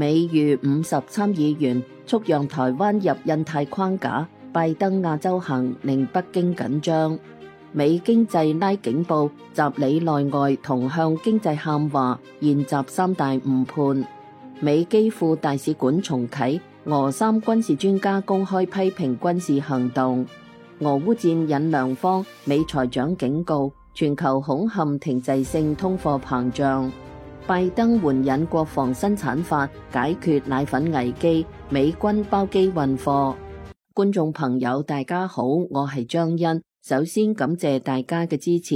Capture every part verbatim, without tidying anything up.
美逾五十參議員促讓台灣入印太框架，拜登亞洲行令北京緊張。美經濟拉警報，習里內外同向經濟喊話，現習三大誤判。美基輔大使館重啟，俄三軍事專家公開批評軍事行動。俄烏戰引良方，美財長警告，全球恐陷停滯性通貨膨脹。拜登援引國防生產法解決奶粉危機，美軍包機運貨。觀眾朋友大家好，我係張欣，首先感謝大家嘅支持。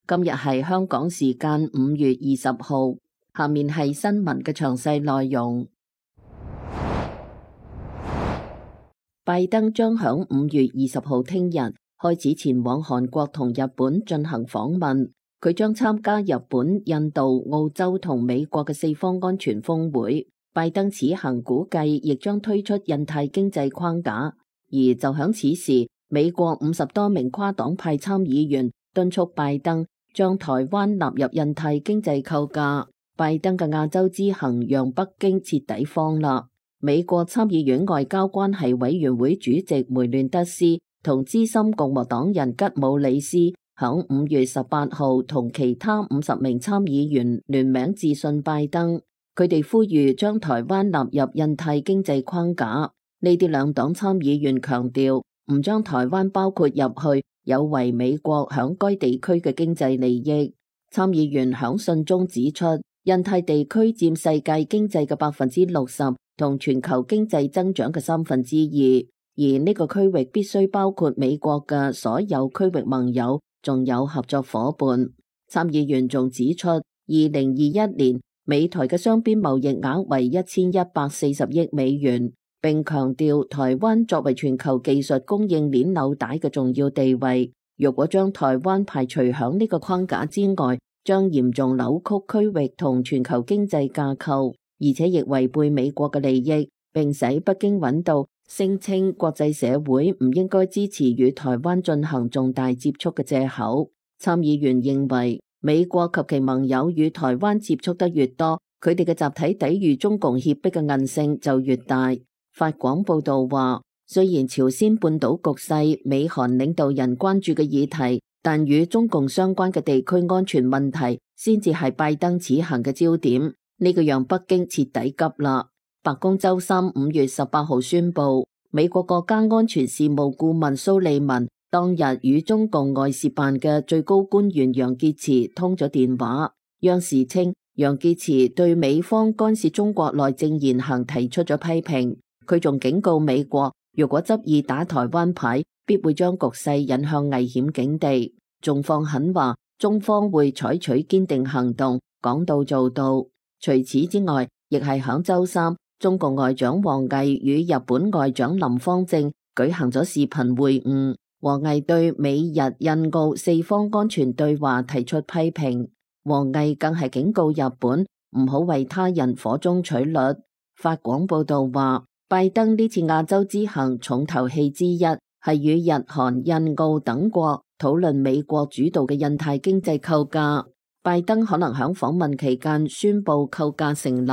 今日係香港時間五月二十號，下面係新聞嘅詳細內容。拜登將響五月二十號聽日開始前往韓國同日本進行訪問。佢將參加日本、印度、澳洲同美國嘅四方安全峰會。拜登此行估計亦將推出印太經濟框架，而就響此時，美國五十多名跨黨派參議員敦促拜登將台灣納入印太經濟構架。拜登嘅亞洲之行讓北京徹底慌啦。美國參議院外交關係委員會主席梅亂德斯同資深共和黨人吉姆里斯響五月十八號同其他五十名參議員聯名致信拜登，佢哋呼籲將台灣納入印太經濟框架。呢啲兩黨參議員強調，唔將台灣包括入去有違美國響該地區嘅經濟利益。參議員響信中指出，印太地區佔世界經濟嘅百分之六十，同全球經濟增長嘅三分之二，而呢個區域必須包括美國嘅所有區域盟友，仲有合作夥伴。參議員仲指出，二零二一年美台嘅雙邊貿易額為一千一百四十億美元，並強調台灣作為全球技術供應鏈紐帶嘅重要地位。如果將台灣排除響呢個框架之外，將嚴重扭曲區域同全球經濟架構，而且亦違背美國嘅利益，並使北京揾到聲稱國際社會唔應該支持與台灣進行重大接觸嘅藉口。參議員認為，美國及其盟友與台灣接觸得越多，佢哋嘅集體抵禦中共脅迫嘅韌性就越大。法廣報道話，雖然朝鮮半島局勢美韓領導人關注嘅議題，但與中共相關嘅地區安全問題先至係拜登此行嘅焦點。呢個讓北京徹底急啦。白宮周三五月十八號宣布，美國國家安全事務顧問蘇利文當日與中共外事辦嘅最高官員楊潔篪通咗電話。央視稱，楊潔篪對美方干涉中國內政言行提出咗批評。佢仲警告美國，如果執意打台灣牌，必會將局勢引向危險境地。仲放狠話，中方會採取堅定行動，講到做到。除此之外，亦係響周三，中共外長王毅與日本外長林芳正舉行咗視頻會晤。王毅對美日印澳四方安全對話提出批評。王毅更係警告日本唔好為他人火中取栗。法廣報道話，拜登呢次亞洲之行重頭戲之一係與日韓印澳等國討論美國主導嘅印太經濟構架。拜登可能喺訪問期間宣布構架成立。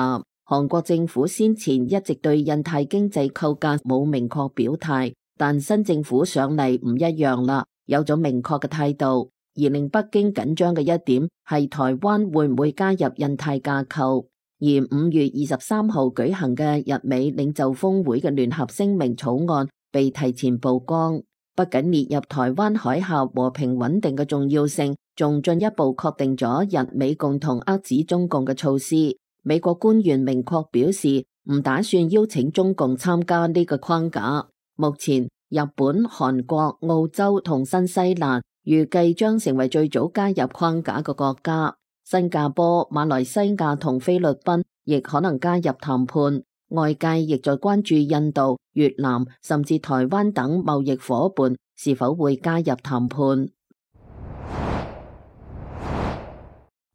韓國政府先前一直對印太經濟構架冇明確表態，但新政府上嚟唔一樣啦，有咗明確嘅態度。而令北京緊張嘅一點係台灣會唔會加入印太架構。而五月二十三號舉行嘅日美領袖峰會嘅聯合聲明草案被提前曝光，不僅列入台灣海峽和平穩定嘅重要性，仲進一步確定咗日美共同遏止中共嘅措施。美國官員明確表示唔打算邀請中共參加呢個框架。目前日本、韓國、澳洲同新西蘭預計將成為最早加入框架嘅國家。新加坡、馬來西亞同菲律賓亦可能加入談判。外界亦在關注印度、越南甚至台灣等貿易夥伴是否會加入談判。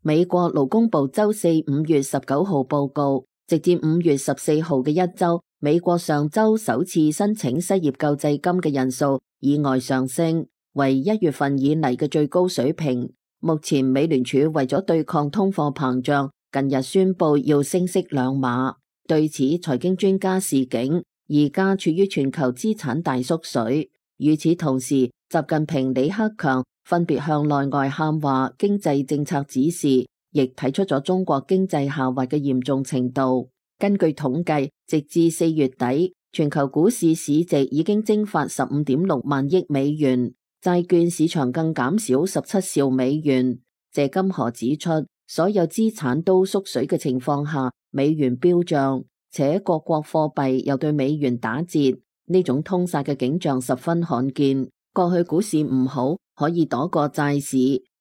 美國勞工部周四五月十九號報告，直至五月十四號嘅一周，美國上周首次申請失業救濟金嘅人數意外上升，為一月份以嚟嘅最高水平。目前美聯儲為咗對抗通貨膨脹，近日宣布要升息兩碼。對此，財經專家示警，而家處於全球資產大縮水。與此同時，習近平、李克強分別向內外喊話經濟政策指示，亦睇出咗中國經濟下滑嘅嚴重程度。根據統計，直至四月底，全球股市市值已經蒸發十五點六萬億美元，債券市場更減少十七兆美元。謝金河指出，所有資產都縮水嘅情況下，美元飆漲，且各國貨幣又對美元打折，呢種通殺嘅景象十分罕見。過去股市唔好，可以躲過債市，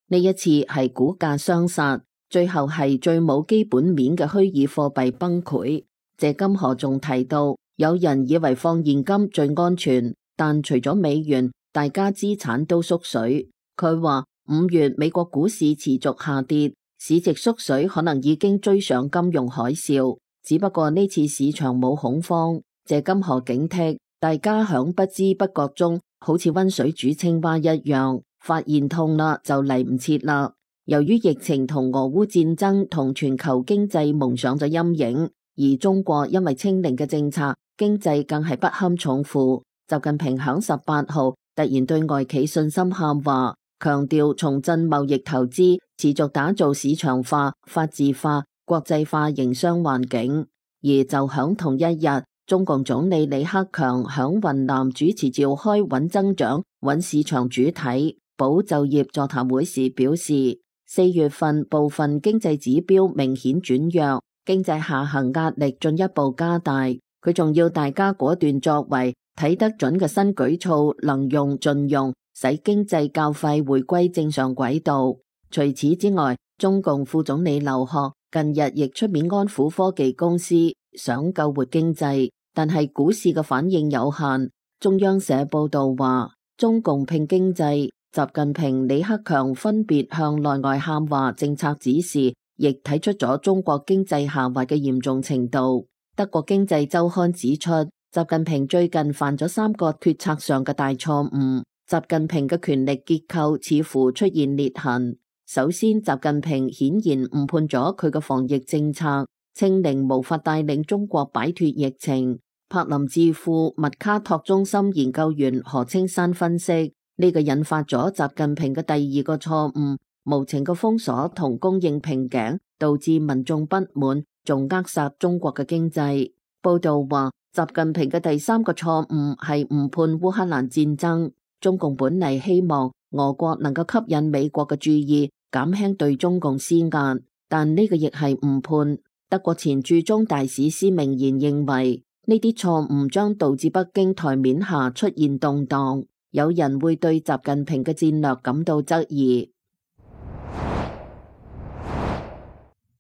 呢一次係股價雙殺，最後係最冇基本面嘅虛擬貨幣崩潰。謝金河仲提到，有人以為放現金最安全，但除咗美元，大家資產都縮水。佢話五月美國股市持續下跌，市值縮水可能已經追上金融海嘯，只不過呢次市場冇恐慌。謝金河警惕大家響不知不覺中，好似溫水煮青蛙一樣，發現痛啦就嚟唔切啦。由於疫情同俄烏戰爭同全球經濟蒙上咗陰影，而中國因為清零嘅政策，經濟更係不堪重負。習近平響十八號突然對外企信心喊話，強調重振貿易投資，持續打造市場化、法治化、國際化營商環境。而就響同一日，中共總理李克強響雲南主持召開穩增長、穩市場主體、保就業座談會時表示，四月份部分經濟指標明顯轉弱，經濟下行壓力進一步加大。佢仲要大家果斷作為，睇得準嘅新舉措能用盡用，使經濟較快回歸正常軌道。除此之外，中共副總理劉鶴近日亦出面安撫科技公司，想救活經濟，但係股市嘅反應有限。中央社報道話，中共拼經濟，習近平、李克強分別向內外喊話政策指示，亦睇出咗中國經濟下滑嘅嚴重程度。德國經濟週刊指出，習近平最近犯咗三個決策上嘅大錯誤。習近平嘅權力結構似乎出現裂痕。首先，習近平顯然誤判咗佢嘅防疫政策，清零無法帶領中國擺脫疫情。柏林智庫麥卡托中心研究員何青山分析，呢個引發咗習近平嘅第二個錯誤，無情嘅封鎖同供應瓶頸，導致民眾不滿，仲扼殺中國嘅經濟。報道話，習近平嘅第三個錯誤係誤判烏克蘭戰爭。中共本嚟希望俄國能夠吸引美國嘅注意，減輕對中共施壓，但呢個亦係誤判。德國前駐中大使施明賢認為，呢啲錯誤將導致北京台面下出現動盪，有人會對習近平嘅戰略感到質疑。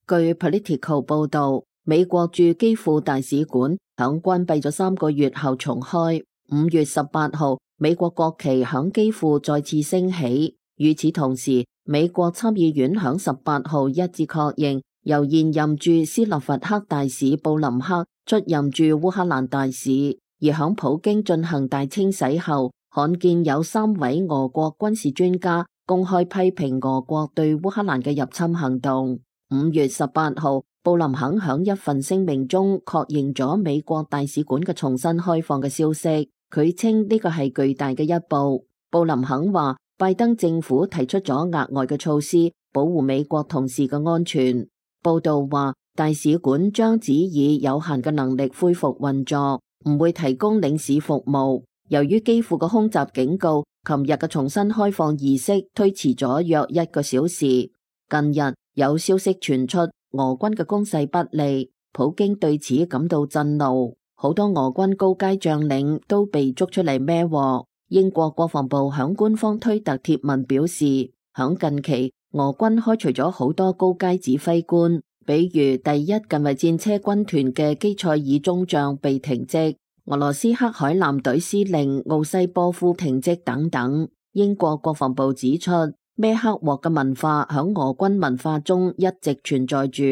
據 Political 報道，美國駐基輔大使館響關閉咗三個月後重開。五月十八號，美國國旗響基輔再次升起。與此同時，美國參議院響十八號一致確認，由現任駐斯洛伐克大使布林克出任駐烏克蘭大使。而響普京進行大清洗後，罕見有三位俄國軍事專家公開批評俄國對烏克蘭嘅入侵行動。五月十八號，布林肯響一份聲明中確認咗美國大使館嘅重新開放嘅消息。佢稱呢個係巨大嘅一步。布林肯話，拜登政府提出咗額外嘅措施，保護美國同事嘅安全。報道話，大使館將只以有限嘅能力恢復運作，唔會提供領事服務。由於基輔嘅空襲警告，琴日嘅重新開放儀式推遲咗約一個小時。近日有消息傳出，俄軍嘅攻勢不利，普京對此感到震怒。好多俄軍高階將領都被捉出嚟孭鑊。英國國防部響官方推特貼文表示，響近期俄軍開除咗好多高階指揮官，比如第一近衛戰車軍團嘅基塞爾中將被停職，俄羅斯黑海艦隊司令奧西波夫停職等等。英國國防部指出，孭黑鑊嘅文化響俄軍文化中一直存在住，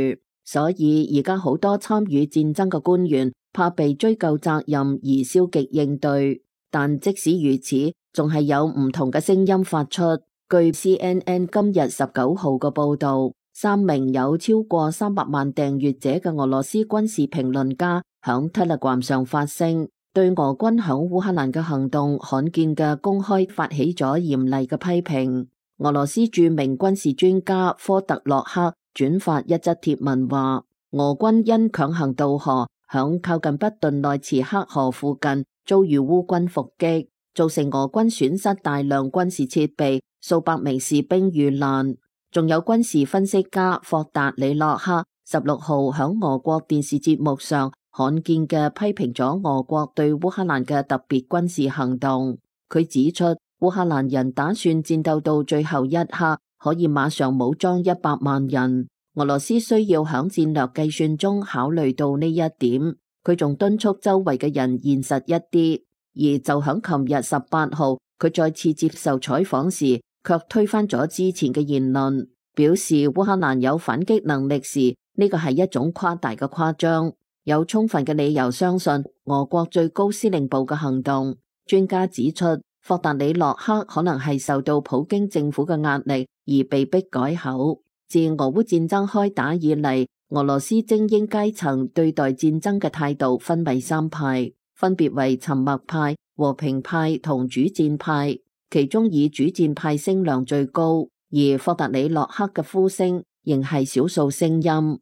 所以而家好多參與戰爭嘅官員怕被追究責任而消極應對。但即使如此，仲係有唔同嘅聲音發出。據 C N N 今日十九號嘅報道，三名有超過三百萬訂閱者嘅俄羅斯軍事評論家響 Telegram 上發聲，對俄軍響烏克蘭嘅行動罕見嘅公開發起咗嚴厲嘅批評。俄羅斯著名軍事專家科特洛克轉發一則貼文話，俄軍因強行渡河，響靠近北頓內茨克河附近遭遇烏軍伏擊，造成俄軍損失大量軍事設備，數百名士兵遇難。仲有軍事分析家霍達里洛克十六號響俄國電視節目上罕見嘅批評咗俄國對烏克蘭嘅特別軍事行動。佢指出，烏克蘭人打算戰鬥到最後一刻，可以馬上武裝一百萬人。俄羅斯需要響戰略計算中考慮到呢一點。佢仲敦促周圍嘅人現實一啲。而就響琴日十八號，佢再次接受採訪時，卻推翻咗之前嘅言論，表示烏克蘭有反擊能力時，呢個係一種誇大嘅誇張，有充分嘅理由相信俄國最高司令部嘅行動。專家指出，霍達里洛克可能係受到普京政府嘅壓力而被迫改口。自俄烏戰爭開打以嚟，俄羅斯精英階層對待戰爭嘅態度分為三派，分別為沉默派、和平派同主戰派。其中以主戰派聲量最高，而霍達里洛克嘅呼聲仍係少數聲音。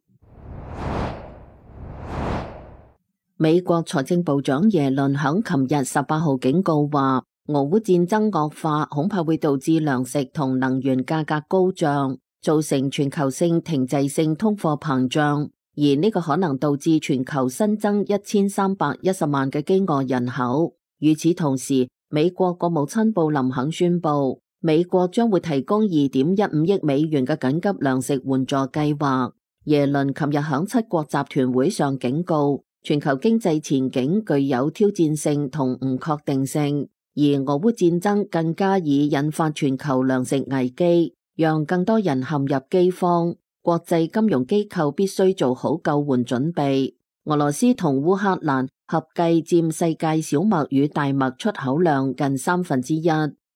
美國財政部長耶倫響琴日十八號警告話，俄烏戰爭惡化恐怕會導致糧食同能源價格高漲，造成全球性停滯性通貨膨脹，而呢個可能導致全球新增一千三百一十萬嘅飢餓人口。與此同時，美國國務卿布林肯宣布，美國將會提供二點一五億美元嘅緊急糧食援助計劃。耶倫琴日響七國集團會上警告，全球經濟前景具有挑戰性同唔確定性，而俄烏戰爭更加已引發全球糧食危機，讓更多人陷入饑荒。國際金融機構必須做好救援準備。俄羅斯同烏克蘭合計佔世界小麥與大麥出口量近三分之一。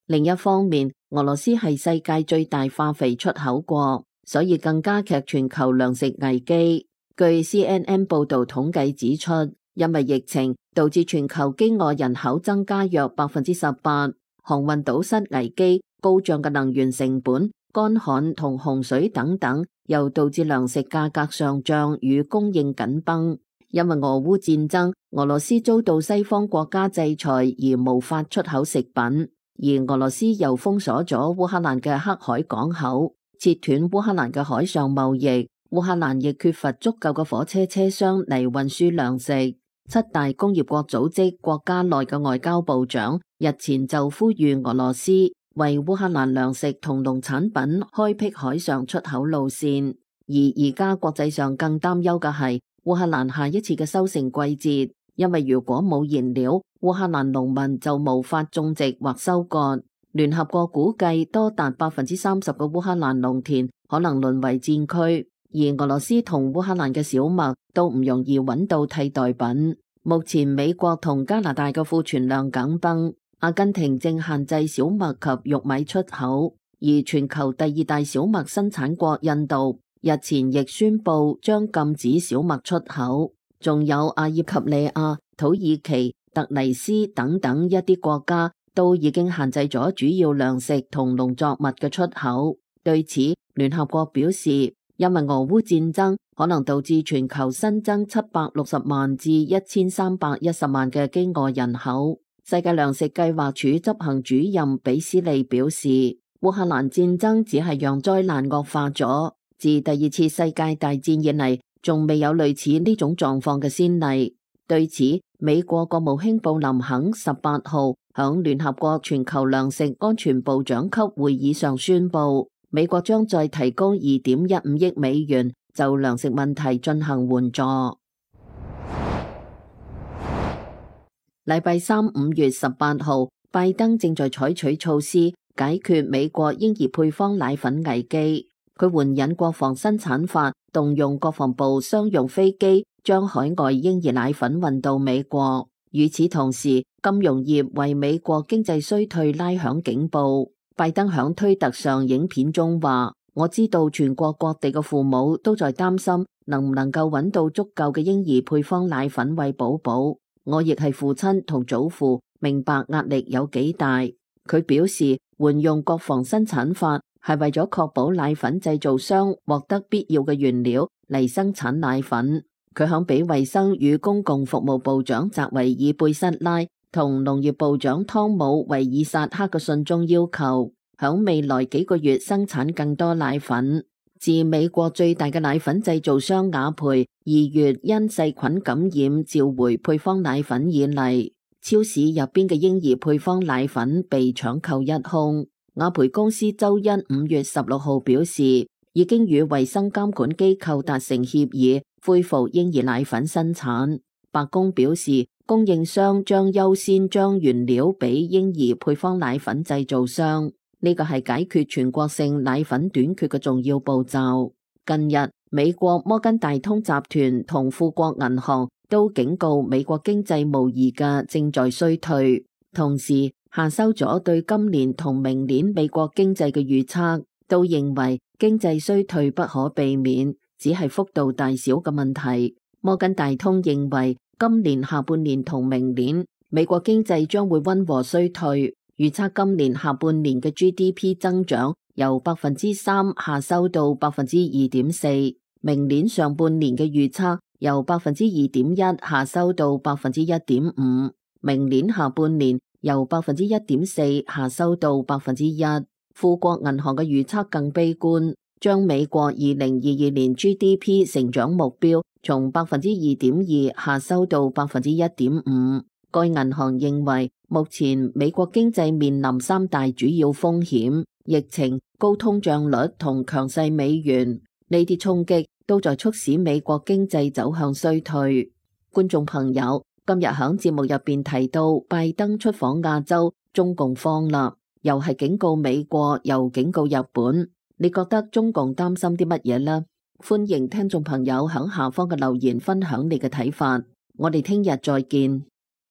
另一方面，俄羅斯係世界最大化肥出口國，所以更加劇全球糧食危機。據 C N N 報道統計指出，因為疫情導致全球飢餓人口增加約百分之十八，航運堵塞危機、高漲嘅能源成本、乾旱同洪水等等，又導致糧食價格上漲與供應緊繃。因為俄烏戰爭，俄羅斯遭到西方國家制裁而無法出口食品，而俄羅斯又封鎖咗烏克蘭嘅黑海港口，切斷烏克蘭嘅海上貿易。烏克蘭亦缺乏足夠嘅火車車廂嚟運輸糧食。七大工業國組織國家內嘅外交部長日前就呼籲俄羅斯為烏克蘭糧食同農產品開闢海上出口路線。而而家國際上更擔憂嘅係烏克蘭下一次嘅收成季節，因為如果冇燃料，烏克蘭農民就無法種植或收割。聯合國估計多達百分之三十嘅烏克蘭農田可能淪為戰區，而俄羅斯同烏克蘭嘅小麥都唔容易揾到替代品。目前美國同加拿大嘅庫存量緊繃，阿根廷正限制小麥及玉米出口，而全球第二大小麥生產國印度日前亦宣布將禁止小麥出口，仲有阿爾及利亞、土耳其、突尼斯等等一啲國家都已經限制咗主要糧食同農作物嘅出口。對此，聯合國表示，因為俄烏戰爭可能導致全球新增七百六十萬至一千三百一十萬嘅飢餓人口。世界糧食計劃署執行主任比斯利表示，烏克蘭戰爭只係讓災難惡化咗。自第二次世界大戰以嚟，仲未有類似呢種狀況嘅先例。對此，美國國務卿布林肯十八號響聯合國全球糧食安全部長級會議上宣布，美國將再提供二點一五億美元就糧食問題進行援助。禮拜三五月十八號，拜登正在採取措施解決美國嬰兒配方奶粉危機。佢援引國防生產法，動用國防部商用飛機將海外嬰兒奶粉運到美國。與此同時，金融業為美國經濟衰退拉響警報。拜登響推特上影片中話，我知道全國各地嘅父母都在擔心能唔能夠揾到足夠嘅嬰兒配方奶粉餵寶寶。我亦係父親同祖父，明白壓力有幾大。佢表示，換用國防生產法係為咗確保奶粉製造商獲得必要嘅原料嚟生產奶粉。佢響俾衛生與公共服務部長澤維爾貝塞拉同農業部長湯姆維爾薩克嘅信中要求，響未來幾個月生產更多奶粉。自美國最大嘅奶粉製造商雅培二月因細菌感染召回配方奶粉以嚟，超市入邊嘅嬰兒配方奶粉被搶購一空。雅培公司周一五月十六號表示，已經與衛生監管機構達成協議，恢復嬰兒奶粉生產。白宮表示，供應商將優先將原料俾嬰兒配方奶粉製造商。呢個係解決全國性奶粉短缺嘅重要步驟。近日，美國摩根大通集團同富國銀行都警告美國經濟無疑嘅正在衰退，同時下收咗對今年同明年美國經濟嘅預測，都認為經濟衰退不可避免，只係幅度大小嘅問題。摩根大通認為今年下半年同明年美國經濟將會溫和衰退。預測今年下半年嘅 G D P 增長由百分之三下收到百分之二點四，明年上半年嘅預測由百分之二點一下收到百分之一點五，明年下半年由百分之一點四下收到百分之一。富國銀行嘅預測更悲觀，將美國二零二二年 G D P 成長目標從百分之二點二下收到百分之一點五。該銀行認為，目前美國經濟面臨三大主要風險：疫情、高通脹率同強勢美元。呢啲衝擊都在促使美國經濟走向衰退。觀眾朋友，今日響節目入邊提到拜登出訪亞洲，中共慌啦，又係警告美國，又警告日本。你覺得中共擔心啲乜嘢呢？歡迎聽眾朋友響下方嘅留言分享你嘅睇法。我哋聽日再見。